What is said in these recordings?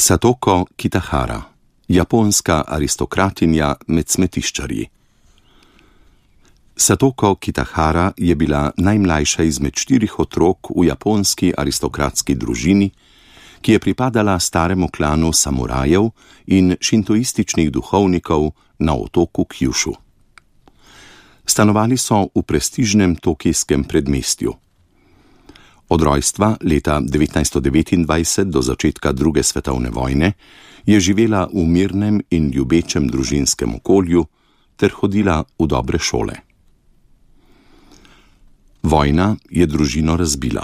Satoko Kitahara, japonska aristokratinja med smetiščarji. Satoko Kitahara je bila najmlajša izmed 4 otrok v japonski aristokratski družini, ki je pripadala staremu klanu samurajev in šintoističnih duhovnikov na otoku Kjušu. Stanovali so v prestižnem tokijskem predmestju. Od rojstva leta 1929 do začetka druge svetovne vojne je živela v mirnem in ljubečem družinskem okolju ter hodila v dobre šole. Vojna je družino razbila.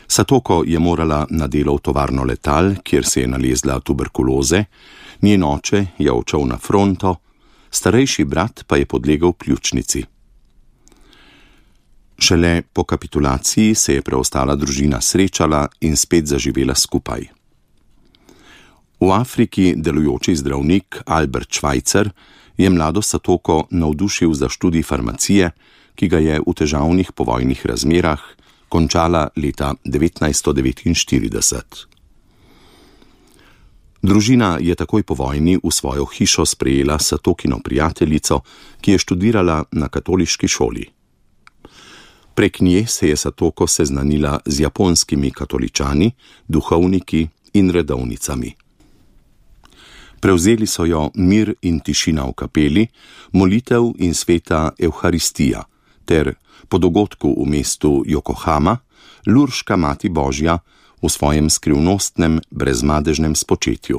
Satoko je morala na delo v tovarno letal, kjer se je nalezla tuberkuloze, njen oče je odšel na fronto, starejši brat pa je podlegel pljučnici. Šele po kapitulaciji se je preostala družina srečala in spet zaživela skupaj. V Afriki delujoči zdravnik Albert Schweitzer je mlado Satoko navdušil za študij farmacije, ki ga je v težavnih povojnih razmerah končala leta 1949. Družina je takoj po vojni v svojo hišo sprejela Satokino prijateljico, ki je študirala na katoliški šoli. Prek nje se je Satoko seznanila z japonskimi katoličani, duhovniki in redovnicami. Prevzeli so jo mir in tišina v kapeli, molitev in sveta Evharistija, ter po dogodku v mestu Jokohama, Lurška Mati Božja v svojem skrivnostnem, brezmadežnem spočetju.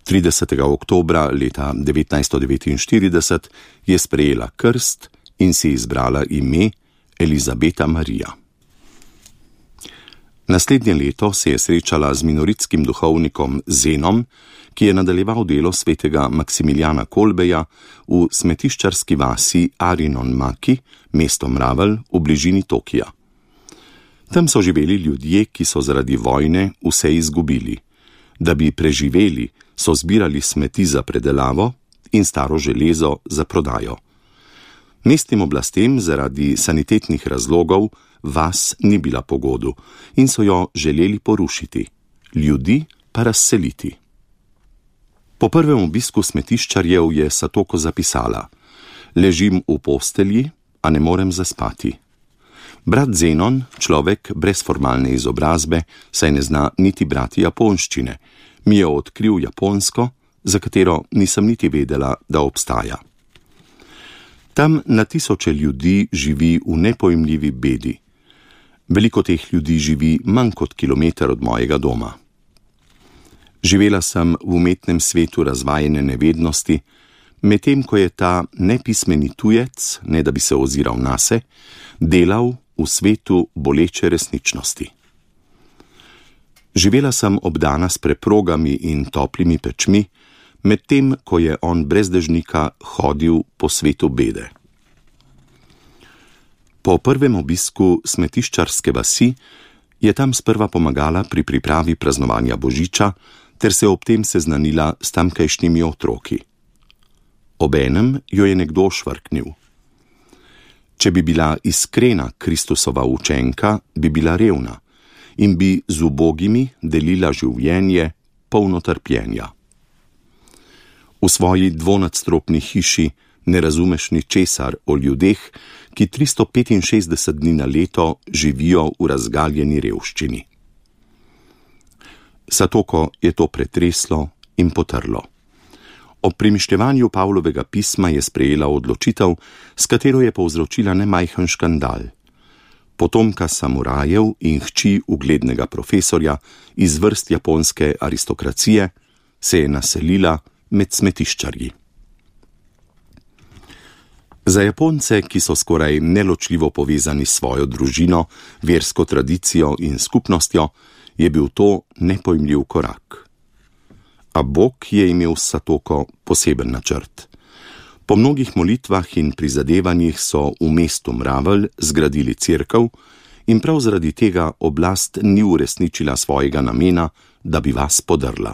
30. oktobra leta 1949 je sprejela krst in si izbrala ime Elizabeta Marija. Naslednje leto se je srečala z minoritskim duhovnikom Zenom, ki je nadaljeval delo svetega Maksimiljana Kolbeja v smetiščarski vasi Arinon Maki, mesto Mravelj v bližini Tokija. Tam so živeli ljudje, ki so zaradi vojne vse izgubili. Da bi preživeli, so zbirali smeti za predelavo in staro železo za prodajo. Mestnim oblastem zaradi sanitetnih razlogov vas ni bila pogodu in so jo želeli porušiti, ljudi pa razseliti. Po prvem obisku smetiščarjev je Satoko zapisala: ležim v postelji, a ne morem zaspati. Brat Zenon, človek brez formalne izobrazbe, saj ne zna niti brati japonščine, mi je odkril japonsko, za katero nisem niti vedela, da obstaja. Tam na tisoče ljudi živi v nepojmljivi bedi. Veliko teh ljudi živi manj kot kilometer od mojega doma. Živela sem v umetnem svetu razvajene nevednosti, medtem ko je ta nepismeni tujec, ne da bi se oziral nase, delal v svetu boleče resničnosti. Živela sem obdana s preprogami in toplimi pečmi, medtem ko je on brez dežnika hodil po svetu bede. Po prvem obisku smetiščarske vasi je tam sprva pomagala pri pripravi praznovanja Božiča ter se ob tem seznanila s tamkajšnjimi otroki. Obenem jo je nekdo švrknil. Če bi bila iskrena Kristusova učenka, bi bila revna in bi z ubogimi delila življenje polno trpljenja. V svoji dvonadstropni hiši ne razumeš ničesar o ljudeh, ki 365 dni na leto živijo v razgaljeni revščini. Satoko je to pretreslo in potrlo. Ob premišljevanju Pavlovega pisma je sprejela odločitev, s katero je povzročila nemajhen škandal. Potomka samurajev in hči uglednega profesorja iz vrst japonske aristokracije se je naselila med smetiščarji. Za Japonce, ki so skoraj neločljivo povezani s svojo družino, versko tradicijo in skupnostjo, je bil to nepojmljiv korak. A Bog je imel s Satoko poseben načrt. Po mnogih molitvah in prizadevanjih so v mestu Mravelj zgradili cerkev in prav zaradi tega oblast ni uresničila svojega namena, da bi vas podrla.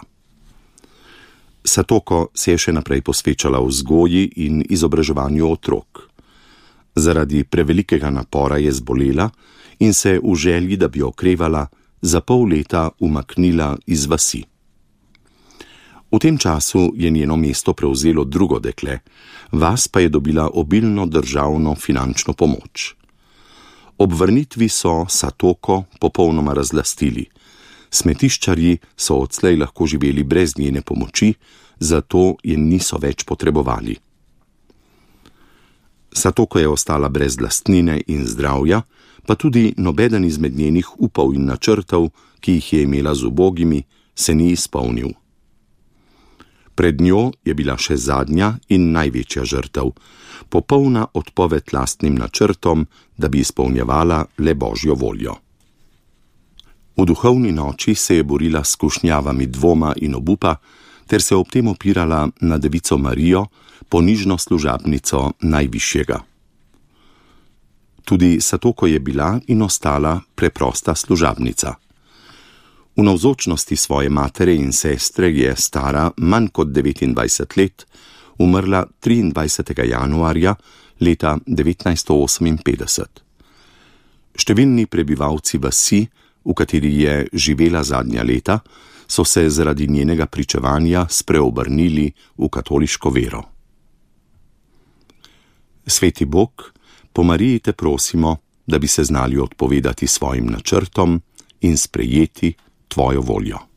Satoko se je še naprej posvečala vzgoji in izobraževanju otrok. Zaradi prevelikega napora je zbolela in se v želji, da bi okrevala, za pol leta umaknila iz vasi. V tem času je njeno mesto prevzelo drugo dekle, vas pa je dobila obilno državno finančno pomoč. Ob vrnitvi so Satoko popolnoma razlastili. Smetiščarji so odslej lahko živeli brez njene pomoči, zato je niso več potrebovali. Satoko je ostala brez lastnine in zdravja, pa tudi nobeden izmed njenih upov in načrtov, ki jih je imela z ubogimi, se ni izpolnil. Pred njo je bila še zadnja in največja žrtev, popolna odpoved lastnim načrtom, da bi izpolnjevala le Božjo voljo. V duhovni noči se je borila s skušnjavami dvoma in obupa, ter se ob tem opirala na Devico Marijo, ponižno služabnico Najvišjega. Tudi Satoko je bila in ostala preprosta služabnica. V navzočnosti svoje matere in sestre je stara manj kot 29 let, umrla 23. januarja leta 1958. Številni prebivalci vasi, v kateri je živela zadnja leta, so se zaradi njenega pričevanja spreobrnili v katoliško vero. Sveti Bog, po Mariji te prosimo, da bi se znali odpovedati svojim načrtom in sprejeti tvojo voljo.